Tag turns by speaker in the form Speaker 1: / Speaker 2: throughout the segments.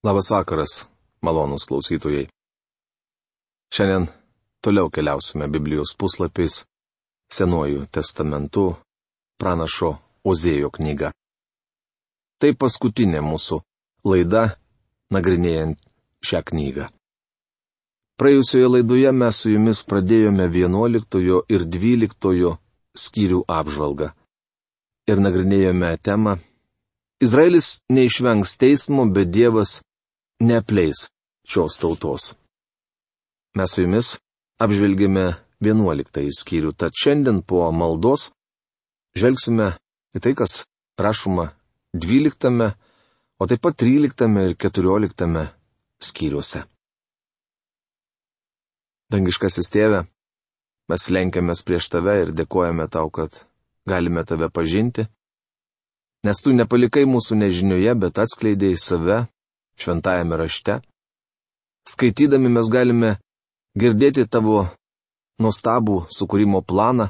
Speaker 1: Labas vakaras, malonūs klausytojai. Šiandien toliau keliausime Biblijos puslapiais, Senuoju testamentu, pranašo Ozėjo knyga. Tai paskutinė mūsų laida, nagrinėjant šią knygą. Praėjusioje laidoje mes su jumis pradėjome 11 ir 12 skyrių apžvalgą. Ir nagrinėjome temą: Izraelis neišvengs teismo, bet Dievas neapleis šios tautos. Mes su jumis apžvelgėme 11 skyrių, tad šiandien po maldos žvelgsime į tai, kas rašoma 12, o taip pat 13 ir 14 skyriuose. Dangiškasis Tėve, mes lenkiamės prieš Tave ir dėkojame Tau, kad galime Tave pažinti, nes Tu nepalikai mūsų nežinioje, bet atskleidėjai save šventajame rašte. Skaitydami mes galime girdėti Tavo nuostabų sukūrimo planą.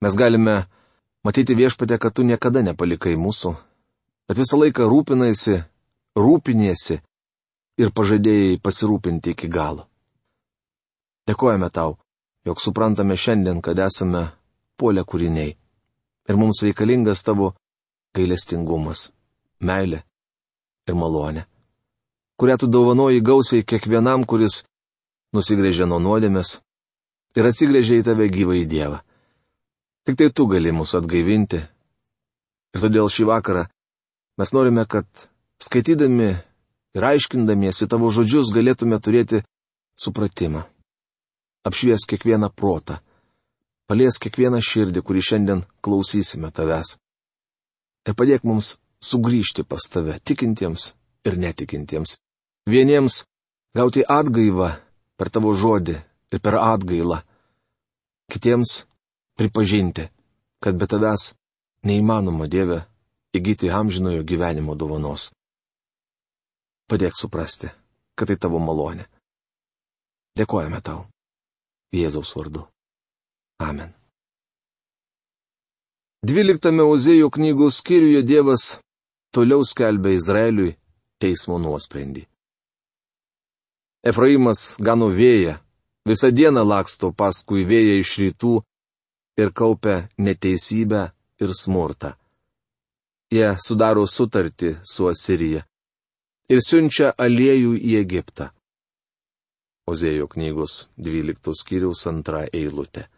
Speaker 1: Mes galime matyti, Viešpatie, kad Tu niekada nepalikai mūsų, bet visą laiką rūpiniesi ir pažadėjai pasirūpinti iki galo. Dėkojame Tau, jog suprantame šiandien, kad esame puolę kūriniai ir mums reikalingas Tavo gailestingumas, meilė ir malonė, kurią Tu dovanoji gausiai kiekvienam, kuris nusigręžia nuo nuodėmės ir atsigręžia į Tave gyvąjį Dievą. Tik tai Tu gali mus atgaivinti. Ir todėl šį vakarą mes norime, kad skaitydami ir aiškindamiesi Tavo žodžius galėtume turėti supratimą. Apšvies kiekvieną protą, palies kiekvieną širdį, kurį šiandien klausysime Tavęs. Ir padėk mums sugrįžti pas Tave, tikintiems ir netikintiems. Vieniems gauti atgaivą per Tavo žodį ir per atgailą. Kitiems pripažinti, kad be Tavęs neįmanoma, Dieve, įgyti amžinojo gyvenimo dovanos. Padėk suprasti, kad tai Tavo malonė. Dėkojame Tau. Jėzaus vardu. Amen. 12 Ozėjo knygos skyriuje Dievas toliau skelbia Izraeliui teismo nuosprendį. Efraimas gano vėją, visą dieną laksto paskui vėją iš rytų ir kaupia neteisybę ir smurtą. Jie sudaro sutartį su Asirija ir siunčia aliejų į Egiptą. Ozėjo knygos 12 skyriaus 2 eilutė.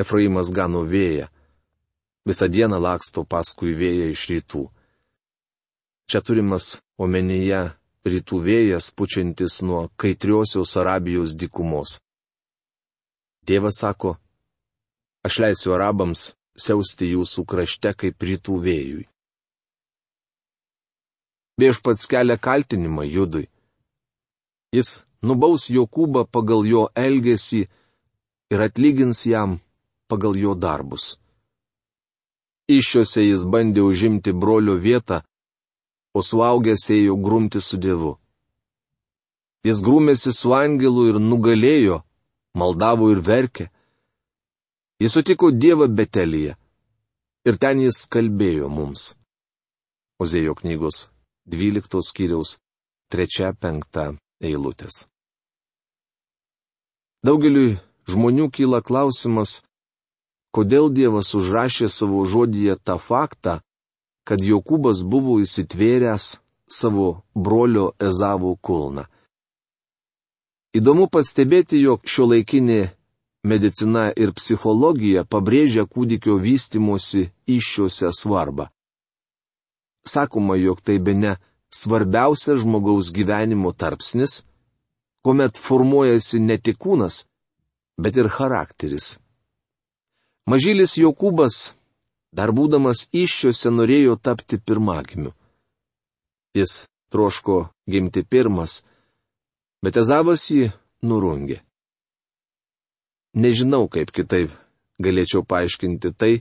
Speaker 1: Efraimas gano vėją, visą dieną laksto paskui vėją iš rytų. Čia turimas omenyje rytų vėjas pučiantis nuo kaitriosios Arabijos dykumos. Dievas sako: aš leisiu arabams siausti jūsų krašte kaip rytų vėjui. Viešpats kelia kaltinimą Judui. Jis nubaus Jokūbą pagal jo elgesį ir atlygins jam pagal jo darbus. Iššiose jis bandė užimti brolio vietą, o suaugęs ėjo grumti su Dievu. Jis grūmėsi su angelu ir nugalėjo, maldavo ir verkė. Jis sutiko Dievą Betelyje ir ten jis kalbėjo mums. Ozėjo knygos 12 skyriaus 3-5 eilutės. Daugeliui žmonių kyla klausimas, kodėl Dievas užrašė savo žodyje tą faktą, kad Jokūbas buvo įsitvėręs savo brolio Ezavo kulną. Įdomu pastebėti, jog šiuolaikinė medicina ir psichologija pabrėžia kūdikio vystymosi įsčiose svarbą. Sakoma, jog tai bene svarbiausias žmogaus gyvenimo tarpsnis, kuomet formuojasi ne tik kūnas, bet ir charakteris. Mažylis Jokūbas, dar būdamas įsčiose, norėjo tapti pirmagimiu. Jis troško gimti pirmas, bet Ezavas jį nurungė. Nežinau, kaip kitaip galėčiau paaiškinti tai,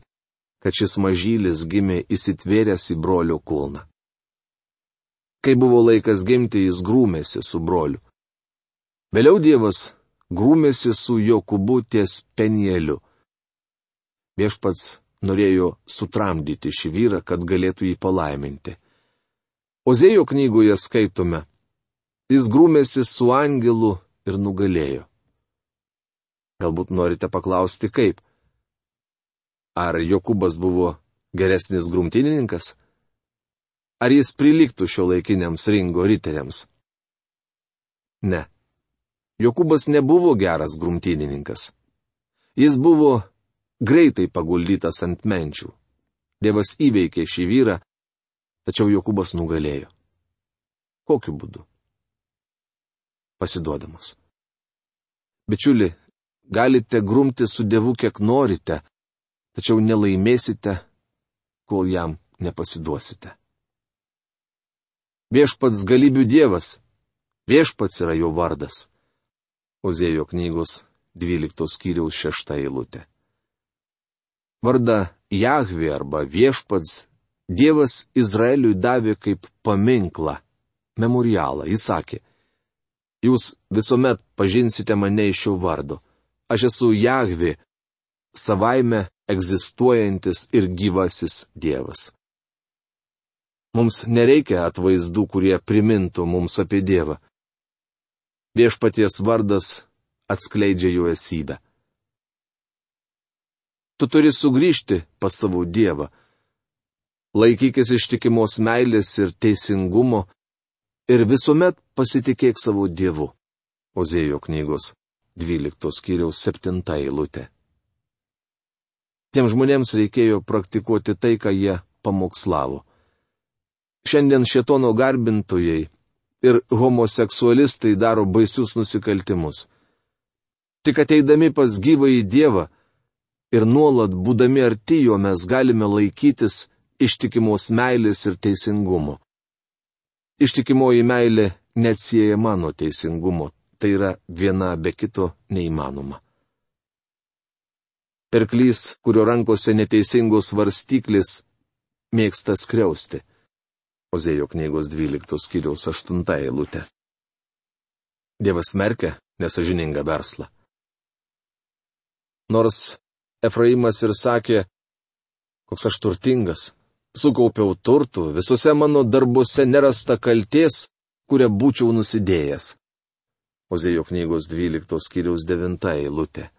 Speaker 1: kad šis mažylis gimė įsitvėręs į brolio kulną. Kai buvo laikas gimti, jis grūmėsi su broliu. Vėliau Dievas grūmėsi su Jokūbu ties Penieliu. Viešpats norėjo sutramdyti šį vyrą, kad galėtų jį palaiminti. Ozėjo knygoje skaitome: jis grūmėsi su angelu ir nugalėjo. Galbūt norite paklausti, kaip? Ar Jokūbas buvo geresnis grumtynininkas? Ar jis prilygtų šiuolaikiniams ringo riteriams? Ne. Jokūbas nebuvo geras grumtynininkas. Jis buvo greitai paguldytas ant menčių. Dievas įveikė šį vyrą, tačiau Jokūbas nugalėjo. Kokiu būdu? Pasiduodamas. Bičiuli, galite grumti su Dievu kiek norite, tačiau nelaimėsite, kol jam nepasiduosite. Viešpats galybių Dievas, viešpats yra jo vardas. Ozėjo knygos 12 skyriaus 6 eilutė. Vardą Jahvė arba viešpats Dievas Izraeliui davė kaip paminklą, memorialą. Jis sakė: jūs visuomet pažinsite mane iš šio vardo. Aš esu Jahvė, savaime egzistuojantis ir gyvasis Dievas. Mums nereikia atvaizdų, kurie primintų mums apie Dievą. Viešpaties vardas atskleidžia jo esybę. Tu turi sugrįžti pas savo Dievą. Laikykis ištikimos meilės ir teisingumo ir visuomet pasitikėk savo Dievu. Ozėjo knygos 12 skyriaus 7 eilutė. Tiem žmonėms reikėjo praktikuoti tai, ką jie pamokslavo. Šiandien šėtono garbintojai ir homoseksualistai daro baisius nusikaltimus. Tik ateidami pas gyvąjį Dievą ir nuolat būdami arti jo mes galime laikytis ištikimos meilės ir teisingumo. Ištikimoji meilė neatsiejama nuo teisingumo, tai yra viena be kito neįmanoma. Pirklys, kurio rankose neteisingos svarstyklės, mėgsta skriausti. Ozėjo knygos 12 skyriaus 8 eilutė. Dievas smerkia nesąžiningą verslą. Nors Efraimas ir sakė: koks aš turtingas, sukaupiau turtų, visose mano darbuose nerasta kaltės, kurią būčiau nusidėjęs. Ozėjo knygos 12 skyriaus 9 eilutė.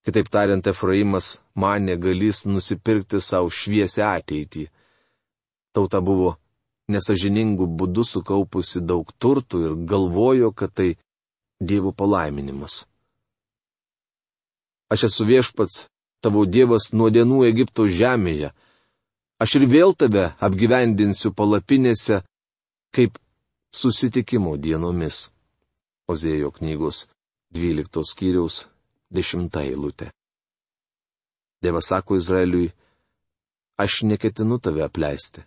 Speaker 1: Kitaip tariant, Efraimas manė galys nusipirkti savo šviesią ateitį. Tauta buvo nesąžiningų būdų sukaupusi daug turtų ir galvojo, kad tai Dievo palaiminimas. Aš esu viešpats, tavo Dievas nuo dienų Egipto žemėje. Aš ir vėl tave apgyvendinsiu palapinėse, kaip susitikimo dienomis. Ozėjo knygos 12 skyriaus 10 eilutė. Dievas sako Izraeliui: aš neketinu tave apleisti.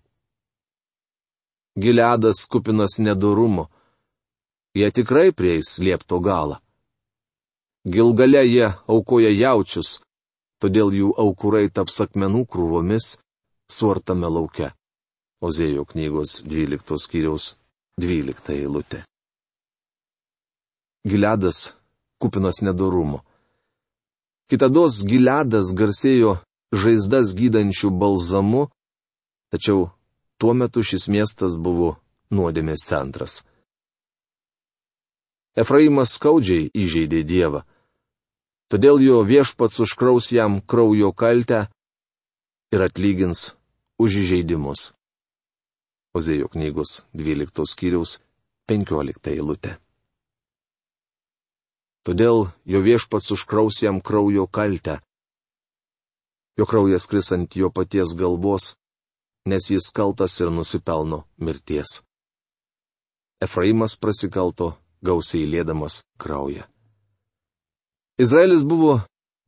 Speaker 1: Gileadas kupinas nedorumo, jie tikrai prieis liepto galą. Gilgale jie aukoja jaučius, todėl jų aukurai taps akmenų krūvomis suartame lauke. Ozėjo knygos 12 skyriaus 12 eilutė. Gileadas kupinas nedorumo. Kitados Gileadas garsėjo žaizdas gydančių balzamu, tačiau tuo metu šis miestas buvo nuodėmės centras. Efraimas skaudžiai įžeidė Dievą, todėl jo viešpats užkraus jam kraujo kaltę ir atlygins už įžeidimus. Ozėjo knygos 12 skyriaus 15 eilutė. Todėl jo viešpats užkraus jam kraujo kaltę. Jo kraujas kris ant jo paties galvos, nes jis kaltas ir nusipelno mirties. Efraimas prasikalto, gausiai liedamas kraują. Izraelis buvo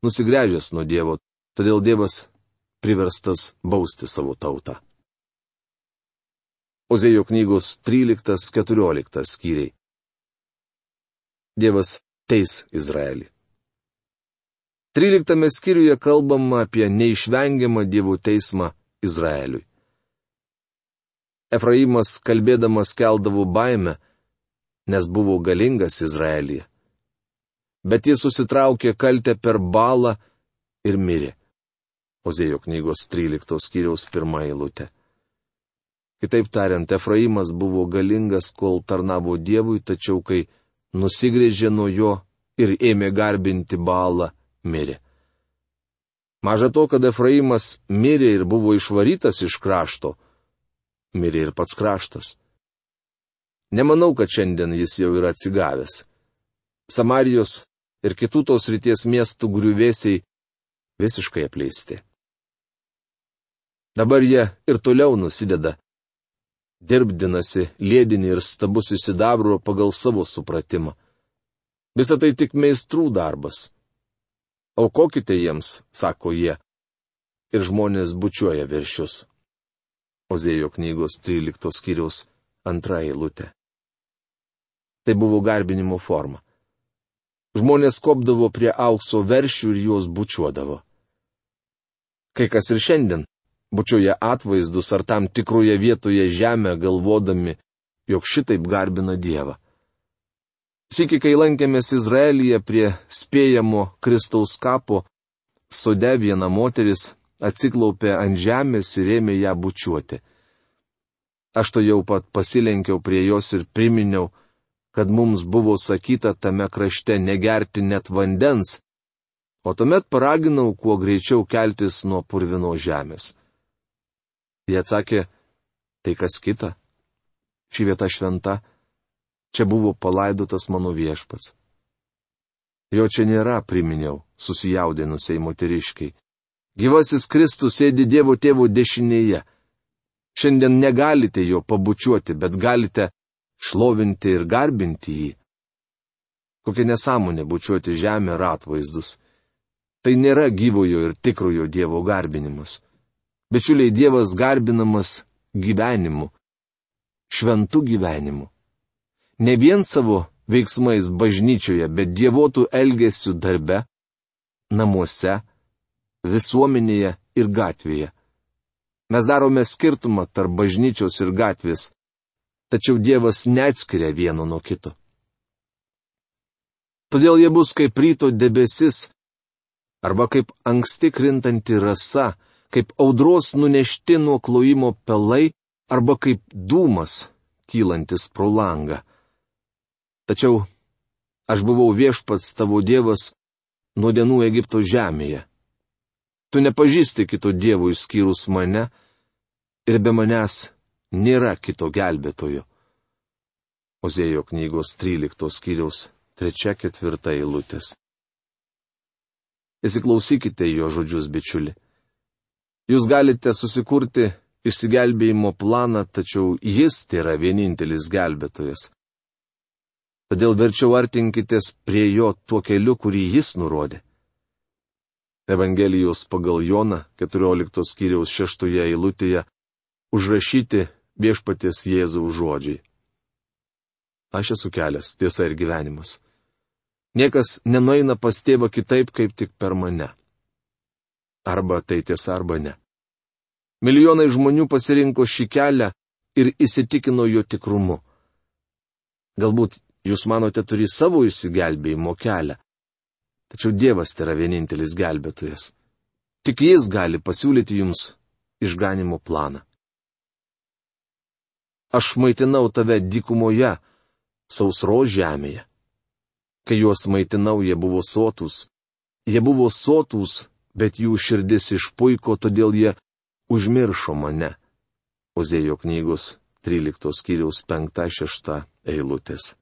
Speaker 1: nusigręžęs nuo Dievo, todėl Dievas priverstas bausti savo tautą. Ozėjo knygos 13-14 skyriai. Dievas teis Izraelį. 13 skyriuje kalbama apie neišvengiamą Dievo teismą Izraeliui. Efraimas kalbėdamas keldavo baimę, nes buvo galingas Izraelyje. Bet jis susitraukė kaltę per Balą ir mirė. Ozėjo knygos 13 skyriaus 1 eilutė. Kitaip tariant, Efraimas buvo galingas, kol tarnavo Dievui, tačiau kai nusigrėžė nuo jo ir ėmė garbinti Baalą, mirė. Maža to, kad Efraimas mirė ir buvo išvarytas iš krašto, mirė ir pats kraštas. Nemanau, kad šiandien jis jau yra atsigavęs. Samarijos ir kitų tos ryties miestų griuvėsiai visiškai apleisti. Dabar jie ir toliau nusideda, dirbdinasi lėdinį ir stabus įsidabro pagal savo supratimą. Visa tai tik meistrų darbas. Aukokite jiems, sako jie, ir žmonės bučiuoja veršius. Ozėjo knygos 13 skyriaus 2 eilutė. Tai buvo garbinimo forma. Žmonės kopdavo prie aukso veršių ir juos bučiuodavo. Kai kas ir šiandien bučiuoja atvaizdus ar tam tikroje vietoje žemę, galvodami, jog šitaip garbina Dievą. Sykį, kai lankėmės Izraelyje prie spėjamo Kristaus kapo, sode viena moteris atsiklaupė ant žemės ir ėmė ją bučiuoti. Aš to jau pat pasilenkiau prie jos ir priminiau, kad mums buvo sakyta tame krašte negerti net vandens, o tuomet paraginau kuo greičiau keltis nuo purvino žemės. Jie atsakė, tai kas kita? Ši vieta šventa, čia buvo palaidotas mano viešpats. Jo čia nėra, priminiau, susijaudinusiai moteriškiai. Gyvasis Kristus sėdi Dievo tėvo dešinėje. Šiandien negalite jo pabučiuoti, bet galite šlovinti ir garbinti jį. Kokia nesąmonė bučiuoti žemę ir atvaizdus. Tai nėra gyvojo ir tikrojo Dievo garbinimas. Bičiuliai, Dievas garbinamas gyvenimu, šventu gyvenimu. Ne vien savo veiksmais bažnyčioje, bet dievotų elgesių darbe, namuose, visuomenėje ir gatvėje. Mes darome skirtumą tarp bažnyčios ir gatvės, tačiau Dievas neatskiria vieno nuo kito. Todėl jie bus kaip ryto debesis, arba kaip anksti krintanti rasa, kaip audros nunešti nuo klojimo pelai, arba kaip dūmas, kylantis pro langą. Tačiau aš buvau viešpats tavo Dievas nuo dienų Egipto žemėje. Tu nepažįsti kito Dievo išskyrus mane, ir be manęs nėra kito gelbėtojo. Ozėjo knygos 13 skyriaus 3-4 eilutės. Įsiklausykite jo žodžius, bičiuli. Jūs galite susikurti išsigelbėjimo planą, tačiau jis tėra vienintelis gelbėtojas. Todėl verčiau artinkitės prie jo tuo keliu, kurį jis nurodė. Evangelijos pagal Joną 14 skyriaus 6 eilutėje užrašyti viešpaties Jėzaus žodžiai. Aš esu kelias, tiesa ir gyvenimas. Niekas nenueina pas tėvą kitaip, kaip tik per mane. Arba tai tiesa, arba ne. Milijonai žmonių pasirinko šį kelią ir įsitikino jo tikrumu. Galbūt jūs manote turi savo išsigelbėjimo kelią. Tačiau Dievas yra vienintelis gelbėtojas. Tik jis gali pasiūlyti jums išganimo planą. Aš maitinau tave dykumoje, sausros žemėje. Kai juos maitinau, jie buvo sotūs. Jie buvo sotūs, bet jų širdis išpuiko, todėl jie užmiršo mane. Ozėjo knygos 13 skyriaus 5-6 eilutės.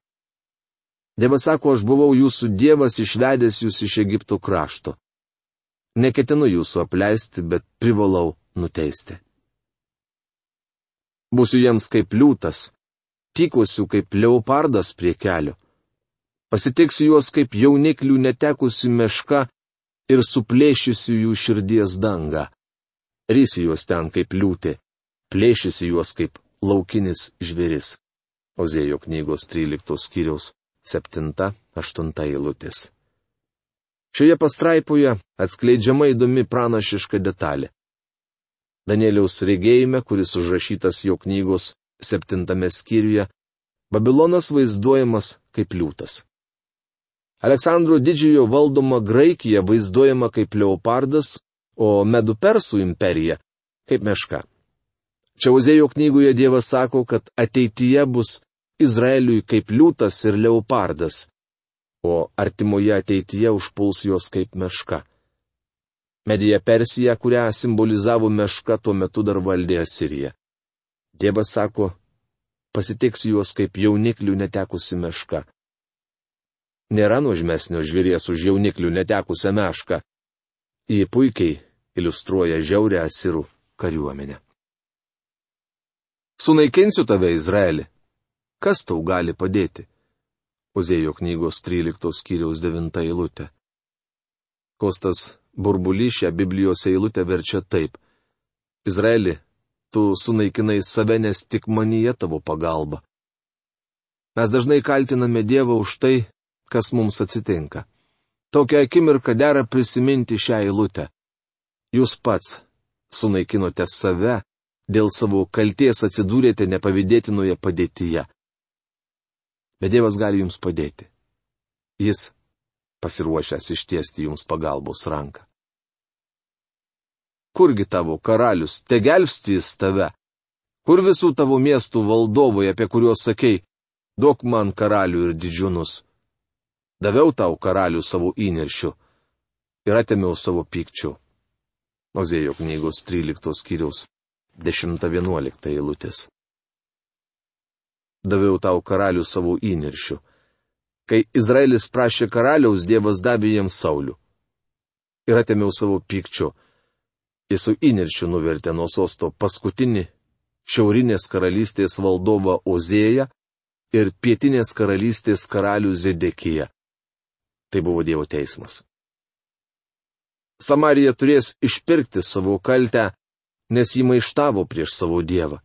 Speaker 1: Dievas sako, aš buvau jūsų Dievas išvedęs jūs iš Egipto krašto. Neketinu jūsų apleisti, bet privalau nuteisti. Būsiu jiems kaip liūtas, tykosiu kaip leopardas prie kelio. Pasitiksiu juos kaip jauniklių netekusių meška ir suplėšysiu jų širdies dangą. Rysiu juos ten kaip liūtė, plėšysiu juos kaip laukinis žvėris. Ozėjo knygos 13 skyriaus 7-8 eilutės. Šioje pastraipoje atskleidžiama įdomi pranašiška detalė. Danieliaus regėjime, kuris užrašytas jo knygos 7 skyriuje, Babilonas vaizduojamas kaip liūtas. Aleksandro didžiojo valdoma Graikija vaizduojama kaip leopardas, o Medų Persų imperija kaip meška. Čia Ozėjo knygoje Dievas sako, kad ateityje bus Izraeliui kaip liūtas ir leopardas, o artimoje ateityje užpuls juos kaip meška. Medija Persija, kurią simbolizavo meška, tuo metu dar valdė Asirija. Dievas sako, pasitiks juos kaip jauniklių netekusi meška. Nėra nuožmesnio žvėries už jauniklių netekusią mešką. Ji puikiai iliustruoja žiaurę asirų kariuomenę. Sunaikinsiu tave, Izraeli. Kas tau gali padėti? Ozėjo knygos 13 skyriaus 9 eilutė. Kostas Burbulys šią Biblijos eilutę verčia taip. Izraeli, tu sunaikinai save, nes tik manyje tavo pagalba. Mes dažnai kaltiname Dievą už tai, kas mums atsitinka. Tokią akimirką dera prisiminti šią eilutę. Jūs pats sunaikinote save, dėl savo kalties atsidūrėte nepavydėtinoje padėtyje. Bet Dievas gali jums padėti. Jis pasiruošęs ištiesti jums pagalbos ranką. Kurgi tavo karalius, te gelbsti jis tave? Kur visų tavo miestų valdovai, apie kuriuos sakei, duok man karalių ir didžiūnus? Daviau tau karalių savo įniršiu ir atėmiau savo pykčiu. Ozėjo knygos 13 skyriaus 10-11 eilutės. Daviau tau karalių savo įniršiu. Kai Izraelis prašė karaliaus, Dievas davė jiems Saulių. Ir atėmiau savo pykčiu. Jis su įniršiu nuvertė nuo sosto paskutinį šiaurinės karalystės valdovą Ozėją ir pietinės karalystės karalių Zedekiją. Tai buvo Dievo teismas. Samarija turės išpirkti savo kaltę, nes jį maištavo prieš savo Dievą.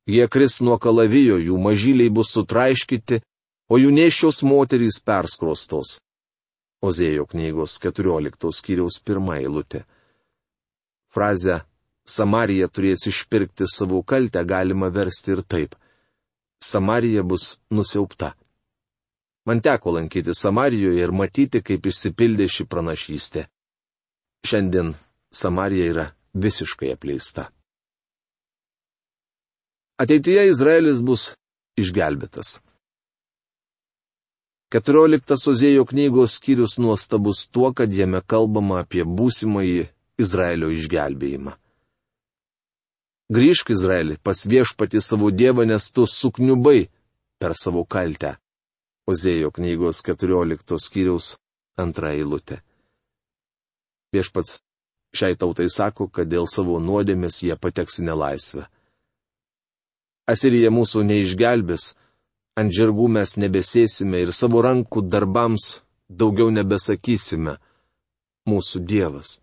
Speaker 1: Jie kris nuo kalavijo, jų mažyliai bus sutraiškyti, o jų nėščios moterys perskrostos. Ozėjo knygos 14 skyriaus 1 eilutė. Frazę Samarija turės išpirkti savo kaltę galima versti ir taip. Samarija bus nusiaupta. Man teko lankyti Samarijoje ir matyti, kaip išsipildė ši pranašystė. Šiandien Samarija yra visiškai apleista. Ateityje Izraelis bus išgelbėtas. 14 Ozėjo knygos skyrius nuostabus tuo, kad jame kalbama apie būsimąjį Izraelio išgelbėjimą. Grįžk, Izraeli, pas viešpatį savo Dievą, nes tu sukniubai per savo kaltę. Ozėjo knygos 14 skyriaus 2 eilutė. Viešpats šiai tautai sako, kad dėl savo nuodėmės jie pateks į nelaisvę. Asirija mūsų neišgelbės, ant žirgų mes nebesėsime ir savo rankų darbams daugiau nebesakysime. Mūsų Dievas.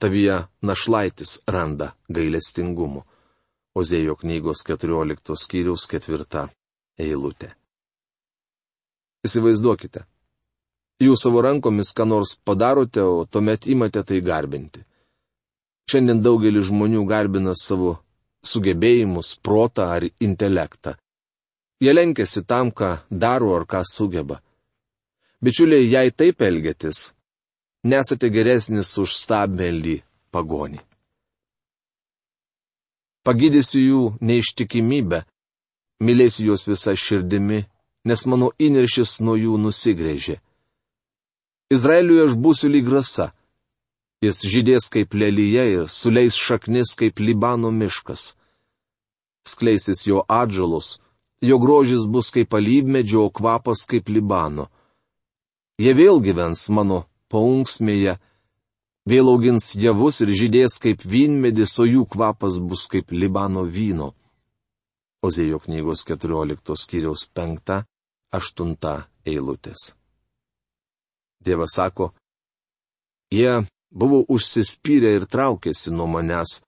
Speaker 1: Tavyje našlaitis randa gailestingumo. Ozėjo knygos 14 skyriaus 4 eilutė. Įsivaizduokite. Jūs savo rankomis ką nors padarote, o tuomet imate tai garbinti. Šiandien daugelis žmonių garbina savo sugebėjimus, protą ar intelektą. Jie lenkiasi tam, ką daro ar ką sugeba. Bičiuliai, jei taip elgiatės, nesate geresnis už stabmeldį pagonį. Pagydysiu jų neištikimybę, mylėsiu juos visą širdimi, nes mano įniršis nuo jų nusigrėžė. Izraeliui aš būsiu lyg rasa. Jis žydės kaip lelyje ir suleis šaknis kaip Libano miškas. Skleisis jo atžalos, jo grožis bus kaip alyvmedžio, o kvapas kaip Libano. Jie vėl gyvens mano paunksmėje, vėl augins javus ir žydės kaip vynmedis, o jų kvapas bus kaip Libano vyno. Ozėjo knygos 14 skyriaus 5-8 eilutės. Dievas sako, jie buvo užsispyrę ir traukėsi nuo manęs,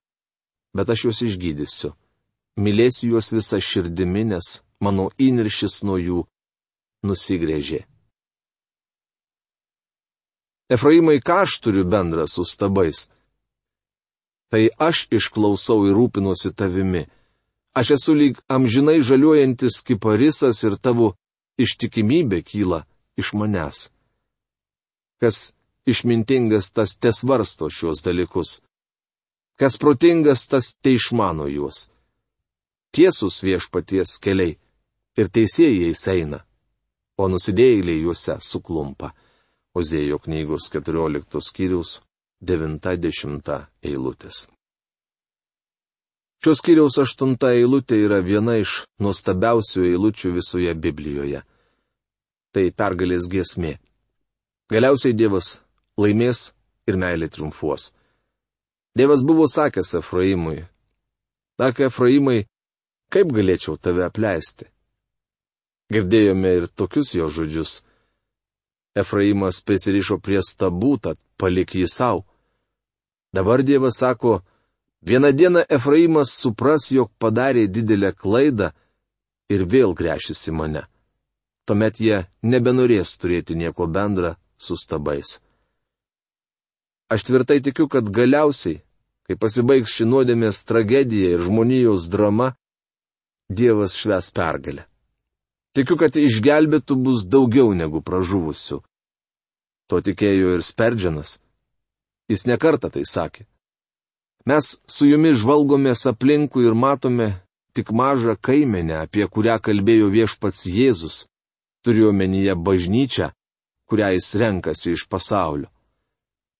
Speaker 1: bet aš juos išgydysiu. Mylėsiu juos visą širdimi, nes mano įniršis nuo jų nusigrėžė. Efraimai, ką aš turiu bendra su stabais? Tai aš išklausau ir rūpinuosi tavimi. Aš esu lyg amžinai žaliuojantis kiparisas ir tavo ištikimybė kyla iš manęs. Kas išmintingas, tas tesvarsto šios dalykus. Kas protingas, tas teišmano juos. tiesus viešpaties keliai ir teisėjai eina, o nusidėjėliai juose suklumpa. Ozėjo knygos 14 skyriaus 90 eilutės. Šios skyriaus 8 eilutė yra viena iš nuostabiausių eilučių visoje Biblijoje. Tai pergalės giesmė. Galiausiai Dievas laimės ir meilė triumfuos. Dievas buvo sakęs Efraimui: "Ak, Efraimai, kaip galėčiau tave apleisti?" Girdėjome ir tokius jo žodžius: Efraimas prisirišo prie stabų, tad palik jį savo. Dabar Dievas sako: vieną dieną Efraimas supras, jog padarė didelę klaidą ir vėl gręšis į mane. Tuomet jie nebenorės turėti nieko bendra su stabais. Aš tvirtai tikiu, kad galiausiai, kai pasibaigs ši nuodėmės tragedija ir žmonijos drama, Dievas švęs pergalę. Tikiu, kad išgelbėtų bus daugiau negu pražuvusių. To tikėjo ir Sperdžianas. Jis nekartą tai sakė. Mes su jumis žvalgomės aplinkui ir matome tik mažą kaimenę, apie kurią kalbėjo viešpats Jėzus. Turiu omenyje bažnyčią, kurią jis renkasi iš pasaulio.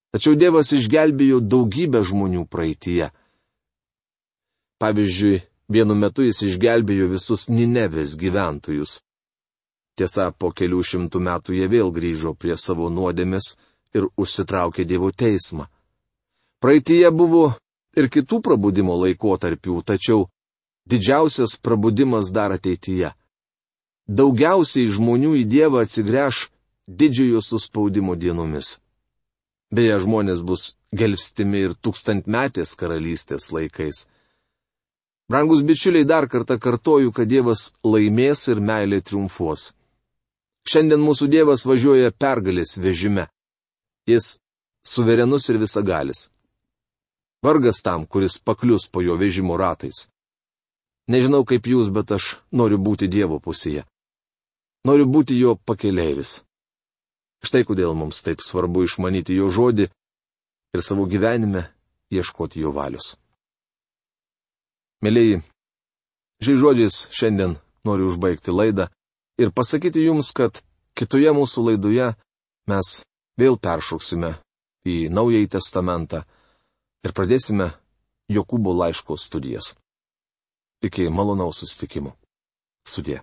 Speaker 1: Tačiau Dievas išgelbėjo daugybę žmonių praeityje. Pavyzdžiui, vienu metu jis išgelbėjo visus Ninevės gyventojus. Tiesa, po kelių šimtų metų jie vėl grįžo prie savo nuodėmės ir užsitraukė Dievo teismą. Praeityje buvo ir kitų prabudimo laikotarpių, tačiau didžiausias prabudimas dar ateityje. Daugiausiai žmonių į Dievą atsigręš didžiojo suspaudimo dienomis. Beje, žmonės bus gelbstimi ir tūkstantmetės karalystės laikais. Brangus bičiuliai, dar kartą kartoju, kad Dievas laimės ir meilė triumfuos. Šiandien mūsų Dievas važiuoja pergalės vežime. Jis suverenus ir visagalis. Vargas tam, kuris paklius po jo vežimo ratais. Nežinau kaip jūs, bet aš noriu būti Dievo pusėje. Noriu būti jo pakeleivis. Štai kodėl mums taip svarbu išmanyti jo žodį ir savo gyvenime ieškoti jo valios. Mėlyji, šiais žodžiais šiandien noriu užbaigti laidą ir pasakyti jums, kad kitoje mūsų laidoje mes vėl peršoksime į Naująjį testamentą ir pradėsime Jokūbo laiško studijas. Iki malonaus susitikimo. Sudie.